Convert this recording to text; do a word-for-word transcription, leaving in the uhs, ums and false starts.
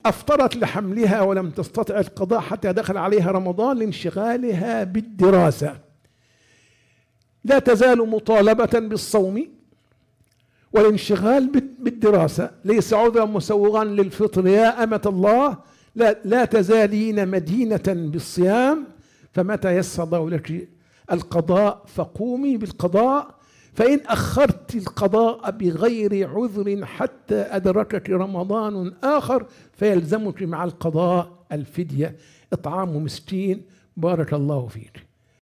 أفطرت لحملها ولم تستطع القضاء حتى دخل عليها رمضان لانشغالها بالدراسة، لا تزال مطالبة بالصوم والانشغال بالدراسة ليس عذرا مسوغا للفطر يا أمة الله، لا, لا تزالين مدينة بالصيام، فمتى يسر الله لك القضاء فقومي بالقضاء، فإن أخرت القضاء بغير عذر حتى أدركك رمضان آخر فيلزمك مع القضاء الفدية إطعام مسكين. بارك الله فيك.